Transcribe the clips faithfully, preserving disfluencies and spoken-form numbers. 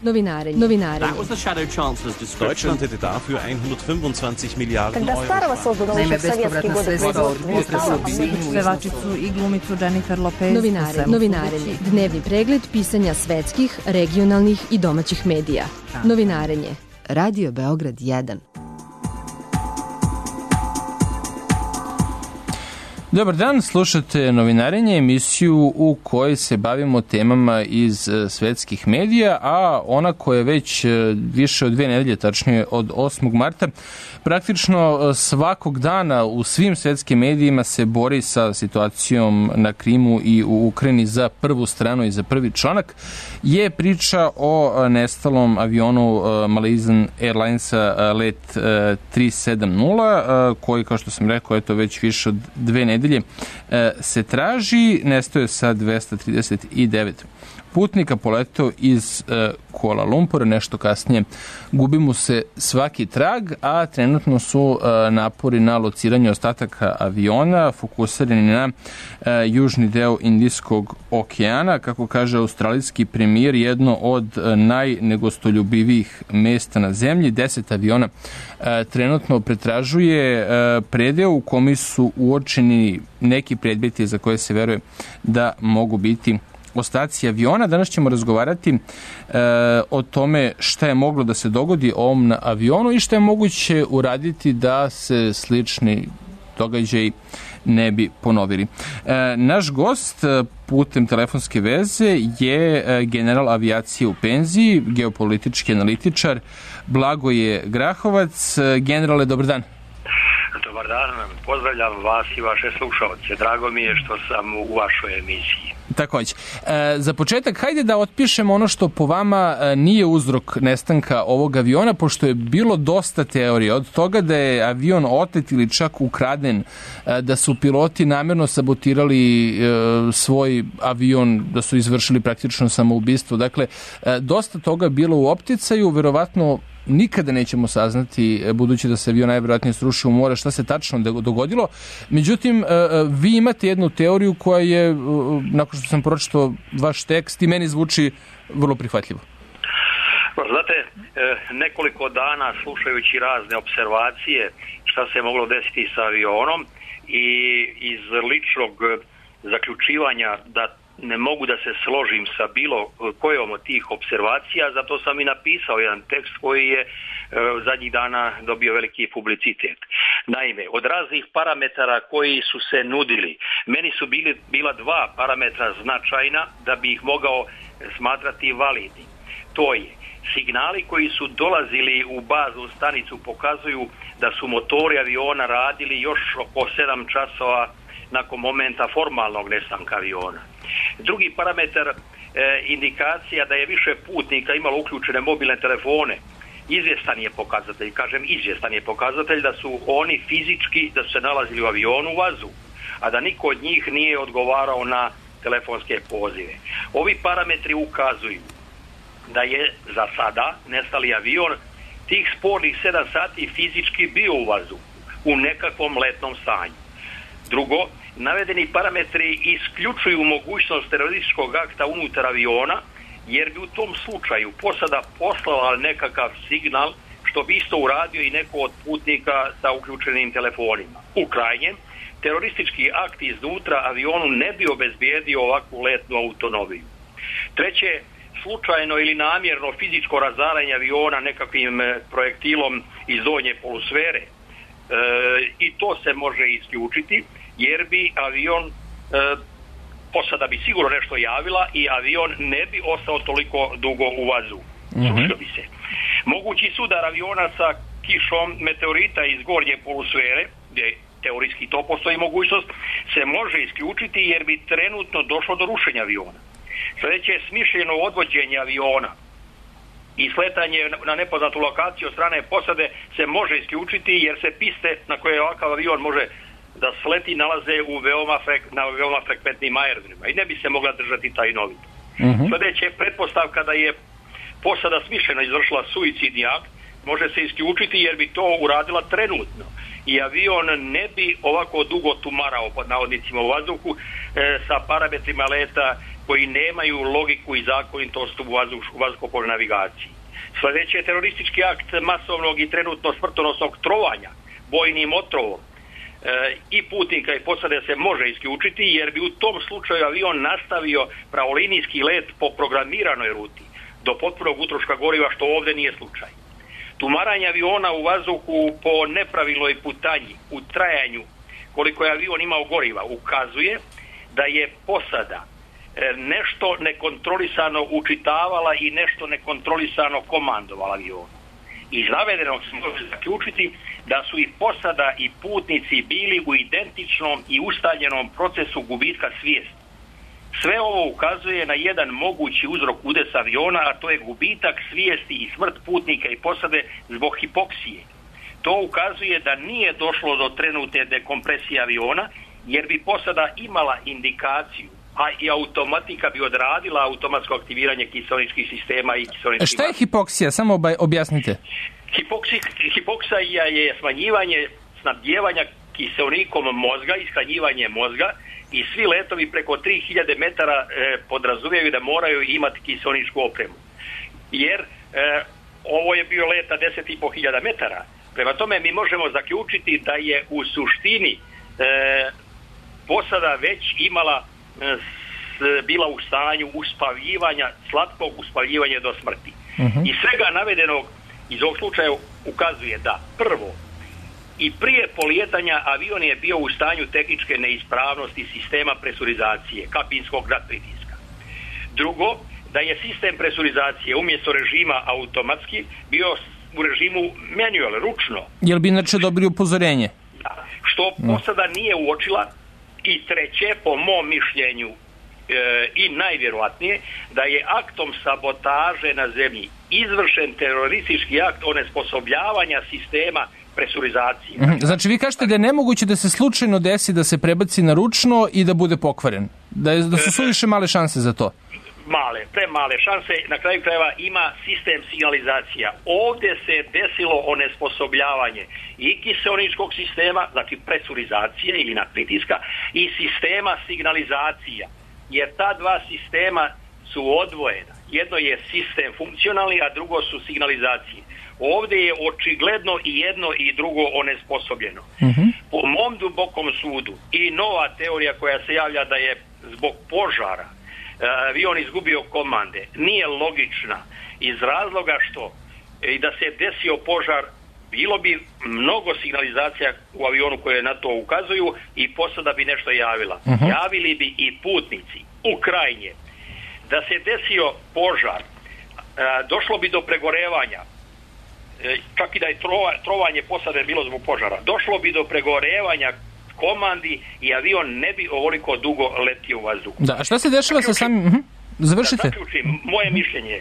Novinarenje. Novinarenje. Deutschland hätte dafür hundertfünfundzwanzig Milliarden Euro. Naime, bespovratna sredstva od potresu pevačicu i glumicu Jennifer Lopez. Novinarenje. Novinarenje. Dnevni pregled pisanja svetskih, regionalnih i domaćih medija. Novinarenje. Radio Beograd jedan. Dobar dan, slušate Novinarenje, emisiju u kojoj se bavimo temama iz svetskih medija, a ona koja je već više od dve nedelje, tačnije od osmog marta, praktično svakog dana u svim svetskim medijima se bori sa situacijom na Krimu i u Ukrajini za prvu stranu i za prvi članak, je priča o nestalom avionu Malaysian Airlinesa let tri sedam nula, koji, kao što sam rekao, eto već više od dve nedelje se traži. Nestao je sa dvesta trideset devet putnika, poletao iz Kuala Lumpura, nešto kasnije gubi mu se svaki trag, a trenutno su napori na lociranje ostataka aviona fokusirani na južni deo Indijskog okeana. Kako kaže australijski premijer, jedno od najnegostoljubivijih mesta na zemlji. Deset aviona trenutno pretražuje predeo u kome su uočeni neki predmeti za koje se veruje da mogu biti ostaci aviona. Danas ćemo razgovarati e, o tome šta je moglo da se dogodi ovom avionu i šta je moguće uraditi da se slični događaji ne bi ponovili. E, naš gost putem telefonske veze je general avijacije u penziji, geopolitički analitičar Blagoje Grahovac. Generale, dobar dan. Dobar dan, pozdravljam vas i vaše slušalce. Drago mi je što sam u vašoj emisiji. Takođe. E, za početak, hajde da otpišemo ono što po vama nije uzrok nestanka ovog aviona, pošto je bilo dosta teorija od toga da je avion otet ili čak ukraden, da su piloti namjerno sabotirali e, svoj avion, da su izvršili praktično samoubistvo. Dakle, e, dosta toga je bilo u opticaju, verovatno nikada nećemo saznati, budući da se avion najvjerojatnije srušio u more, šta se tačno dogodilo. Međutim, vi imate jednu teoriju koja je, nakon što sam pročitao vaš tekst, i meni zvuči vrlo prihvatljivo. Znate, nekoliko dana slušajući razne observacije šta se moglo desiti sa avionom i iz ličnog zaključivanja da ne mogu da se složim sa bilo kojom od tih observacija, zato sam i napisao jedan tekst koji je e, zadnjih dana dobio veliki publicitet. Naime, od raznih parametara koji su se nudili, meni su bili, bila dva parametra značajna da bi ih mogao smatrati validnim. To je, signali koji su dolazili u baznu stanicu pokazuju da su motori aviona radili još oko sedam časova nakon momenta formalnog nestanka aviona. Drugi parametar, e, indikacija da je više putnika imalo uključene mobilne telefone, izvjestan je pokazatelj, kažem izvjestan je pokazatelj da su oni fizički, da su se nalazili u avionu u vazu, a da niko od njih nije odgovarao na telefonske pozive. Ovi parametri ukazuju da je za sada nestali avion tih spornih sedam sati fizički bio u vazu, u nekakvom letnom stanju. Drugo, navedeni parametri isključuju mogućnost terorističkog akta unutar aviona, jer bi u tom slučaju posada poslala nekakav signal, što bi isto uradio i neko od putnika sa uključenim telefonima. U krajnjem, teroristički akt iznutra avionu ne bi obezbijedio ovakvu letnu autonomiju. Treće, slučajno ili namjerno fizičko razaranje aviona nekakvim projektilom iz donje polusfere, E, i to se može isključiti, jer bi avion e, posada bi sigurno nešto javila i avion ne bi ostao toliko dugo u vazu. Mm-hmm. Srušio bi se. Mogući sudar aviona sa kišom meteorita iz gornje polusfere, gdje teorijski to postoji mogućnost, se može isključiti jer bi trenutno došlo do rušenja aviona. Sljedeće je smišljeno odvođenje aviona i sletanje na nepoznatu lokaciju od strane posade se može isključiti, jer se piste na koje ovakav avion može da sleti nalaze u veoma frek, na veoma frekventnim aerodromima i ne bi se mogla držati tajnovito. Mm-hmm. Sljedeće pretpostavka da je posada smišljeno izvršila suicidni akt može se isključiti jer bi to uradila trenutno, i avion ne bi ovako dugo tumarao pod navodnicima u vazduhu e, sa parametrima leta koji nemaju logiku i zakonitost u vazduhoplovnoj navigaciji. Sljedeći je teroristički akt masovnog i trenutno smrtonosnog trovanja bojnim otrovom e, i putnika i posade se može isključiti, jer bi u tom slučaju avion nastavio pravolinijski let po programiranoj ruti do potpunog utroška goriva, što ovdje nije slučaj. Tumaranje aviona u vazduhu po nepravilnoj putanji u trajanju koliko je avion imao goriva ukazuje da je posada nešto nekontrolisano učitavala i nešto nekontrolisano komandovala avionu. Iz navedenog se može zaključiti da su i posada i putnici bili u identičnom i ustaljenom procesu gubitka svijesti. Sve ovo ukazuje na jedan mogući uzrok udesa aviona, a to je gubitak svijesti i smrt putnika i posade zbog hipoksije. To ukazuje da nije došlo do trenutne dekompresije aviona, jer bi posada imala indikaciju, a i automatika bi odradila automatsko aktiviranje kiseoničkih sistema i kiseoničkih... Šta je hipoksija? Samo objasnite. Hipoksija, hipoksija je smanjivanje snabdijevanja kiseonikom mozga i shranjivanje mozga, i svi letovi preko tri hiljade metara e, podrazumijevaju da moraju imati kiseoničku opremu. Jer e, ovo je bio let na deset i po hiljada metara. Prema tome mi možemo zaključiti da je u suštini e, posada već imala e, s, bila u stanju uspavljivanja, slatkog uspavljivanja do smrti. Uh-huh. I svega navedenog iz ovog slučaja ukazuje da prvo, i prije polijetanja avion je bio u stanju tehničke neispravnosti sistema presurizacije, kabinskog nadpritiska. Drugo, da je sistem presurizacije umjesto režima automatski bio u režimu manual, ručno. Jel bi inače dobili upozorenje? Da, što posada nije uočila. I treće, po mom mišljenju e, i najvjerojatnije, da je aktom sabotaže na zemlji izvršen teroristički akt onesposobljavanja sistema presurizacije. Mm-hmm. Znači vi kažete da je nemoguće da se slučajno desi da se prebaci na ručno i da bude pokvaren. Da, je, da su suviše male šanse za to. Male, premale šanse. Na kraju krajeva ima sistem signalizacija. Ovdje se desilo onesposobljavanje i kiseoničkog sistema, znači presurizacije ili nadpritiska, i sistema signalizacija. Jer ta dva sistema su odvojena. Jedno je sistem funkcionalni, a drugo su signalizacije. Ovdje je očigledno i jedno i drugo onesposobljeno. Uh-huh. Po mom dubokom sudu i nova teorija koja se javlja da je zbog požara avion izgubio komande nije logična, iz razloga što i da se desio požar bilo bi mnogo signalizacija u avionu koje na to ukazuju i posada bi nešto javila. Uh-huh. Javili bi i putnici. U krajnje, da se desio požar, došlo bi do pregorevanja, čak i da je trova, trovanje posade bilo zbog požara, došlo bi do pregorevanja komandi i avion ne bi ovoliko dugo letio u vazduhu. Da, a šta se dešava sa samim... Uh-huh. Završite. Da zaključim, moje mišljenje,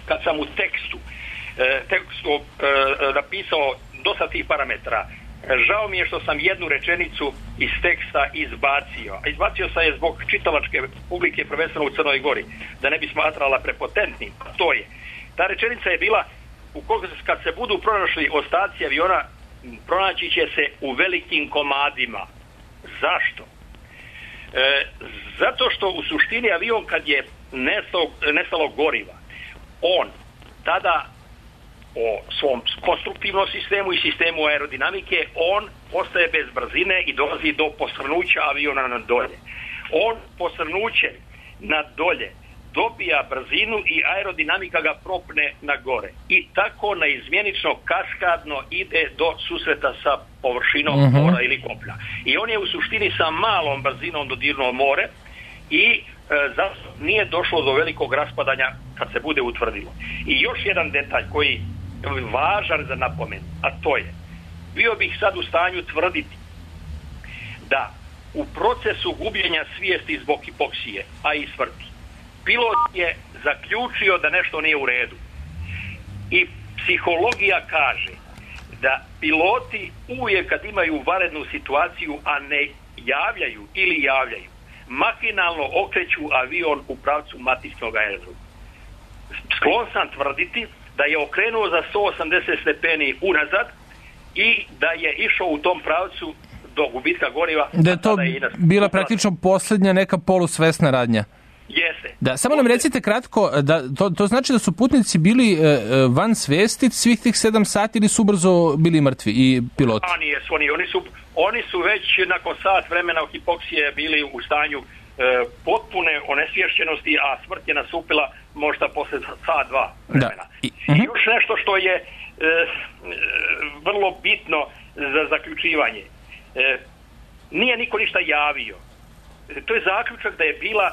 kad sam u tekstu, eh, tekstu eh, napisao dosta tih parametara, žao mi je što sam jednu rečenicu iz teksta izbacio. A izbacio sam je zbog čitalačke publike, prvenstveno u Crnoj Gori, da ne bi smatrala prepotentnim. To je. Ta rečenica je bila, ukoliko kad se budu pronašli ostaci aviona, pronaći će se u velikim komadima. Zašto? E, zato što u suštini avion kad je nestalo, nestalo goriva, on tada o svom konstruktivnom sistemu i sistemu aerodinamike, on ostaje bez brzine i dolazi do posrnuća aviona na dolje. On posrnuće na dolje dobija brzinu i aerodinamika ga propne na gore. I tako neizmjenično kaskadno ide do susreta sa površinom uh-huh. mora ili kopna. I on je u suštini sa malom brzinom dodirnuo more i e, zato nije došlo do velikog raspadanja kad se bude utvrdilo. I još jedan detalj koji je važan za napomen, a to je, bio bih sad u stanju tvrditi da u procesu gubljenja svijesti zbog hipoksije, a i smrti, pilot je zaključio da nešto nije u redu. I psihologija kaže da piloti uvijek kad imaju vanrednu situaciju, a ne javljaju ili javljaju, makinalno okreću avion u pravcu matičnog aerodroma. Sklon sam tvrditi da je okrenuo za sto osamdeset stepeni unazad i da je išao u tom pravcu do gubitka goriva. Da je to je bila praktično posljednja neka polusvesna radnja. Jeste. Da, samo nam recite kratko, da, to, to znači da su putnici bili e, van svesti svih tih sedam sati ili su brzo bili mrtvi i piloti? A nije, oni, oni, su, oni su već nakon sat vremena hipoksije bili u stanju e, potpune onesvješćenosti, a smrt je nastupila možda posle sat, dva vremena. Da. I, uh-huh. I još nešto što je e, e, vrlo bitno za zaključivanje. E, nije niko ništa javio. E, to je zaključak da je bila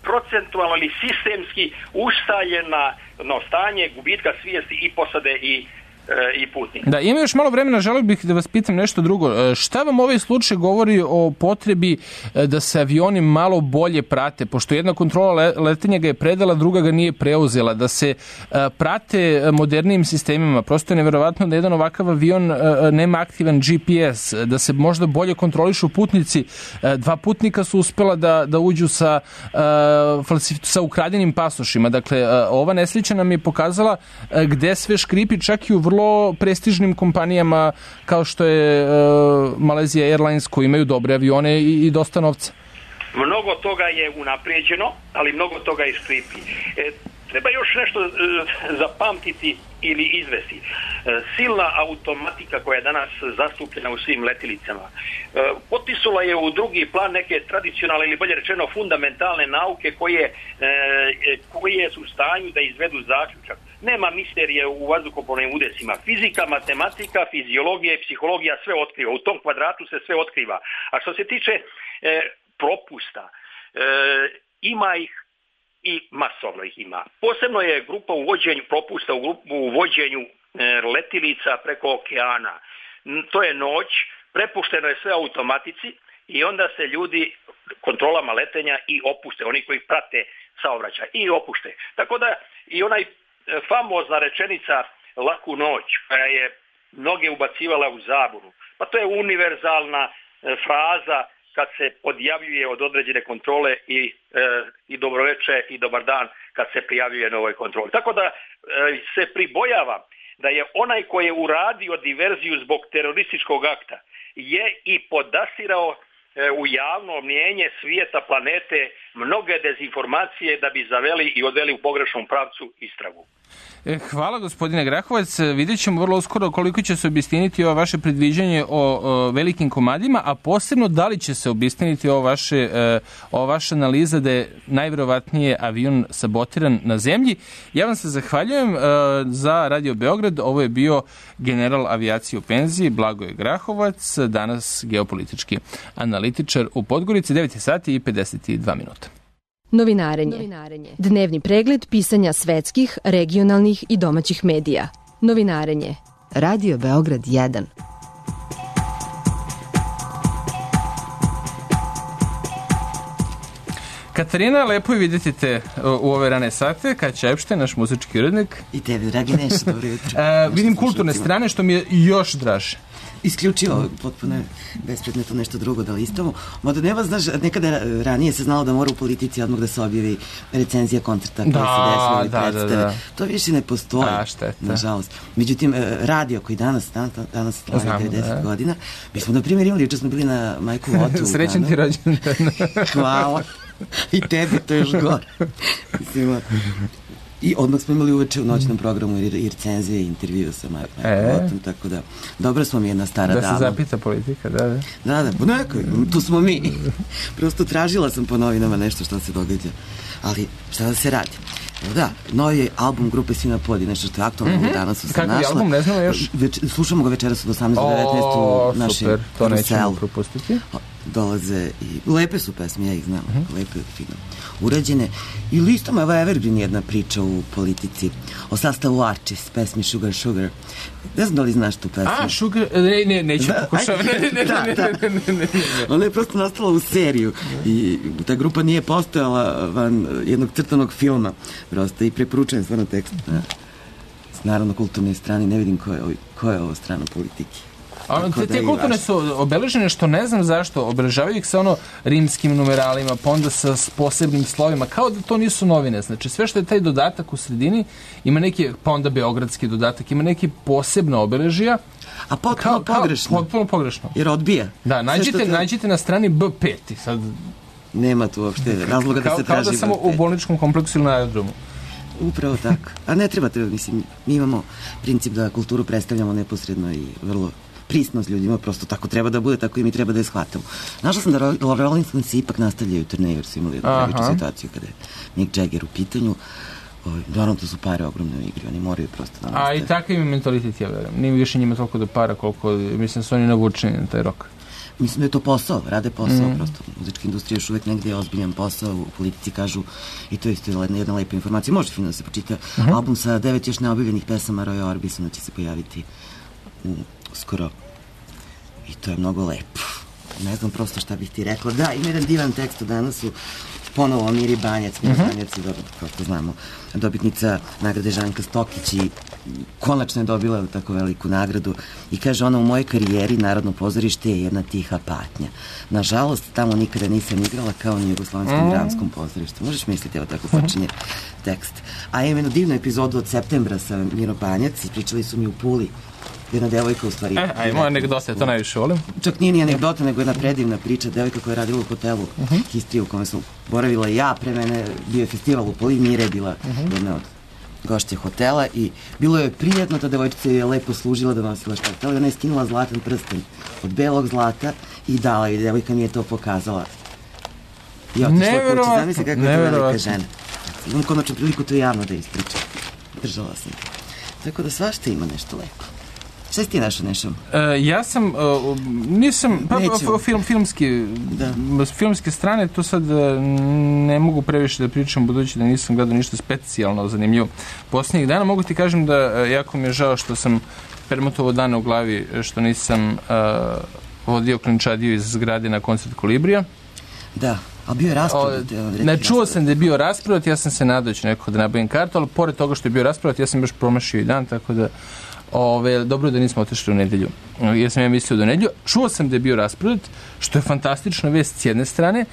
procentualno ili sistemski ustaljena no, stanje gubitka svijesti i posade i i putnika. Da, ima još malo vremena, želio bih da vas pitam nešto drugo. Šta vam ovaj slučaj govori o potrebi da se avioni malo bolje prate, pošto jedna kontrola letenja ga je predala, druga ga nije preuzela, da se prate modernijim sistemima. Prosto je neverovatno da jedan ovakav avion nema aktivan G P S, da se možda bolje kontrolišu putnici. Dva putnika su uspela da, da uđu sa, sa ukradenim pasošima. Dakle, ova nesreća nam je pokazala gde sve škripi, čak i u vrlo prestižnim kompanijama kao što je uh, Malaysia Airlines, koji imaju dobre avione i, i dosta novca. Mnogo toga je unaprijeđeno, ali mnogo toga i škripi. E, treba još nešto e, zapamtiti ili izvesti. E, silna automatika koja je danas zastupljena u svim letilicama e, potisula je u drugi plan neke tradicionalne ili bolje rečeno fundamentalne nauke koje, e, koje su u stanju da izvedu zaključak. Nema misterije u vazduhoplovnim udesima. Fizika, matematika, fiziologija i psihologija sve otkriva. U tom kvadratu se sve otkriva. A što se tiče e, propusta, e, ima ih i masovno ih ima. Posebno je grupa u vođenju propusta u, grupu, u vođenju e, letilica preko okeana. To je noć, prepušteno je sve automatici i onda se ljudi kontrolama letenja i opuste. Oni koji prate saobraćaj i opušte. Tako da i onaj famozna rečenica laku noć, koja je mnoge ubacivala u zabunu. Pa to je univerzalna e, fraza kad se odjavljuje od određene kontrole i, e, i dobroveče i dobar dan kad se prijavljuje na ovoj kontroli. Tako da e, se pribojavam da je onaj koji je uradio diverziju zbog terorističkog akta je i podastirao e, u javno mnijenje svijeta planete mnoge dezinformacije da bi zaveli i odveli u pogrešnom pravcu istragu. Hvala, gospodine Grahovac. Vidjet ćemo vrlo uskoro koliko će se obistiniti ovo vaše predviđanje o, o velikim komadima, a posebno da li će se obistiniti ovo vaše, ovo vaša analiza da je najverovatnije avion sabotiran na zemlji. Ja vam se zahvaljujem za Radio Beograd. Ovo je bio general avijacije u penziji Blagoje Grahovac, danas geopolitički analitičar u Podgorici. devet sati i pedeset dva minuta. Novinarenje. Novinarenje. Dnevni pregled pisanja svetskih, regionalnih i domaćih medija. Novinarenje. Radio Beograd jedan. Katarina, lepo je vidjeti te u ove rane sate. Kaća Epštajn, naš muzički urednik. I tebi, dragi Neša, dobro jutro. Uh, vidim kulturne strane, što mi je još draže. Isključivo, potpuno je bespredmetno nešto drugo da listamo. Mada nema, znaš, nekada ranije se znalo da mora u politici odmah da se objavi recenzija koncerta koja da, se desila ili da, predstave. Da, da. To više ne postoji, A, šteta. nažalost. Međutim, radio koji danas, danas slavi devedeset godina, mi smo, na primjer, imali, juče smo bili na Majku Otu. Srećan ti rođendan. Hvala. I tebi to još gore. Mislim, i odmah smo imali uveče u noćnom programu i, i recenzije i intervju sa Majkom e? Otom, tako da dobra smo mi jedna stara da dama. Da se zapita politika, da, da. Da, da, po nekoj, tu smo mi. Prosto tražila sam po novinama nešto što se događa. Ali, šta da se radi? Da, novi album grupe Svi na podi, nešto što je aktualno mm-hmm. danas su se Kako našla. Kako je album, ne znamo još? Več, slušamo ga večeras od osamnaest do devetnaest u našem super, to Ruselu. nećemo propustiti. Dolaze i lepe su pesme, ja ih znam, mm-hmm. lepe, fino urađene. I listom je Evergreen jedna priča u politici o sastavu Arčis, pesmi Sugar Sugar. Ne znam da li znaš tu pesmu. A, Sugar, ne, ne, neću da, pokušavati. Ne, ne, da, ne, da. ne, ne, ne, ne. Ona je prosto nastala u seriju i ta grupa nije postojala van jednog crtanog filma. Prosto i preporučujem stvarno tekst. Na, naravno kulturne strane, ne vidim ko je, ko je ovo strana politike. A te, te kulturne su obeležene, što ne znam zašto, obeležavaju ih sa ono rimskim numeralima, pa onda sa posebnim slovima, kao da to nisu novine. Znači, sve što je taj dodatak u sredini, ima neki, pa onda beogradski dodatak, ima neki posebna obeležija. A potpuno kao, pogrešno. Kao, potpuno pogrešno. Jer odbija. Da, nađite, te... nađite na strani B pet. Sad... Nema tu uopšte razloga da kao, se traži kao da samo u bolničkom kompleksu ili na aerodromu. Upravo tako. A ne treba te, mislim, mi imamo princip da kulturu predstavljamo neposredno i vrlo prisno s ljudima, prosto tako treba da bude, tako i mi treba da je shvatamo. Našla sam da Rolling Stones ipak nastavljaju turneju, jer su imali jednu najveću situaciju kada je Mick Jagger u pitanju. Naravno, to su pare ogromne u igri, oni moraju prosto da nastave. A i takav im mentalitet, ja verujem. Nije više njima toliko do para koliko, mislim, su oni navučeni na taj rok. Mislim da je to posao, rade posao, mm. prosto. Muzička industrija još uvek negdje je ozbiljan posao, u politici kažu, i to je isto jedna, jedna lepa informacija, može fino da se počita. Mm-hmm. Album sa devet još neobjavljenih pesama Roya Orbisona će se pojaviti u, skoro. I to je mnogo lepo. Ne znam prosto šta bih ti rekla. Da, ima jedan divan tekst od danas su ponovo Miri Banjac, Miri mm-hmm. Banjac je, kao što znamo, dobitnica nagrade Žanka Stokić i konačno je dobila tako veliku nagradu i kaže ona, u mojoj karijeri Narodno pozorište je jedna tiha patnja. Nažalost, tamo nikada nisam igrala kao ni u Jugoslavenskom mm. dramskom pozorištu. Možeš misliti, evo tako počinje tekst. A imam jednu divnu epizodu od septembra sa Miro Banjac i pričali su mi u Puli. Jedna devojka u stvari... E, a ima anegdota, ja to najviše volim. Čak nije ni anegdota, nego jedna predivna priča. Devojka koja je radila u hotelu uh-huh. Histrija u kome sam boravila ja, pre mene bio je festival u Puli, Mira je bila uh-huh. jedna od gošće hotela i bilo je prijetno, ta devojčica je lepo služila da nosila šta htjela i ona je skinula zlatan prsten od belog zlata i dala i devojka mi je to pokazala. I otišla kući, zamisli kako je to velika žena. Imam konačno priliku to javno da ispričam. Držala sam. Tako da svašta ima nešto lepo. Šta si ti našao nešto? Uh, ja sam, uh, nisam, pa, film, filmski, da. filmske strane, to sad uh, ne mogu previše da pričam, budući da nisam gledao ništa specijalno zanimljivo posljednjih dana. Mogu ti kažem da uh, jako mi je žao što sam permutovo dana u glavi, što nisam uh, vodio klinčadiju iz zgrade na koncert Kolibrija. Da. A bio je rasprodat? Ne, čuo sam da je bio rasprodat, ja sam se nadao da ću nekako da nabavim kartu, ali pored toga što je bio rasprodat, ja sam još promašio i dan, tako da ove, dobro da nismo otišli u nedelju, jer sam ja mislio do nedelju. Čuo sam da je bio rasprodat, što je fantastična vest s jedne strane,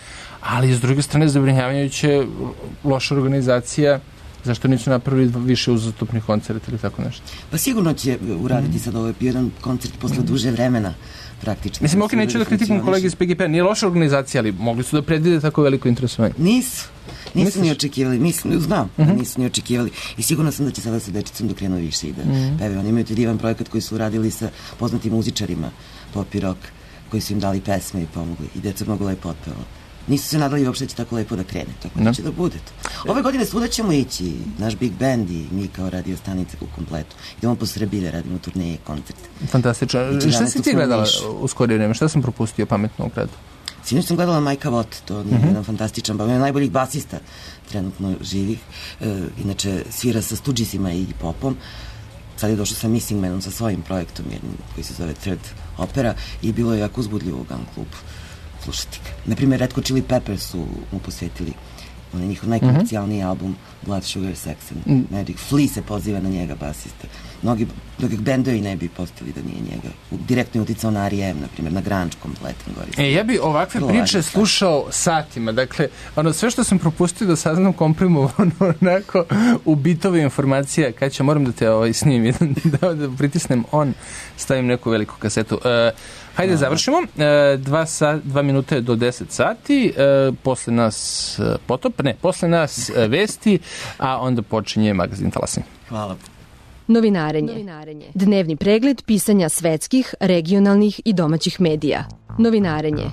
ali s druge strane zabrinjavajuće loša organizacija, zašto nisu napravili više uzastopnih koncerta ili tako nešto. Pa sigurno će uraditi sad ovaj jedan koncert posle duže vremena. Praktično. Mislim, ok, neću da kritikujem kolege iz P G P-a, nije loša organizacija, ali mogli su da predvide tako veliko interesovanje. Nisu. Nisu Misliš? Ni očekivali. Mislim, znam, uh-huh. nisu ni očekivali. I sigurno sam da će sada sa dečicom dok krenu više i da uh-huh. peve. Oni imaju divan projekat koji su uradili sa poznatim muzičarima, pop i rock, koji su im dali pesme i pomogli. I deca mnogo lepo otpevalo. Nisu se nadali uopšte će tako lepo da krene. Tako da će da bude to. Ove godine svuda ćemo ići, naš Big Band i mi kao radio stanica u kompletu. Idemo po Srbiji da radimo turneje, koncerte. Fantastično. Šta si ti gledala u skorije vreme? Šta sam propustio pametno u gradu? Sinoć sam gledala Majka Vot, to je uh-huh. jedan fantastičan, pa je najboljih basista trenutno živih. E, inače, svira sa Stoogesima i popom. Sad je došao sa Missing Manom, sa svojim projektom, jednim, koji se zove Third Opera, i bilo je jako uzbudljivo u Gun Klubu slušati ga. Naprimjer, Red Hot Chili Peppers su mu posvetili onaj njihov najkomercijalniji uh-huh. album Blood Sugar Sex and mm. Magic. Flea se poziva na njega, basista. Mnogi drugih bendovi ne bi postali da nije njega. Direktno je uticao na R E M, na primjer, na grunge kompletan gori. E, ja bi ovakve Vrlo priče slušao satima. Dakle, ono, sve što sam propustio da saznam komprimovano onako u bitove informacija, kad će moram da te ovaj, snimim, da, da pritisnem on, stavim neku veliku kasetu. Uh, hajde, završimo. Uh, dva, sa, dva minute do deset sati. Uh, posle nas uh, potop, ne, posle nas uh, vesti, a onda počinje magazin Talasim. Hvala. Novinarenje. Novinarenje. Dnevni pregled pisanja svetskih, regionalnih i domaćih medija. Novinarenje.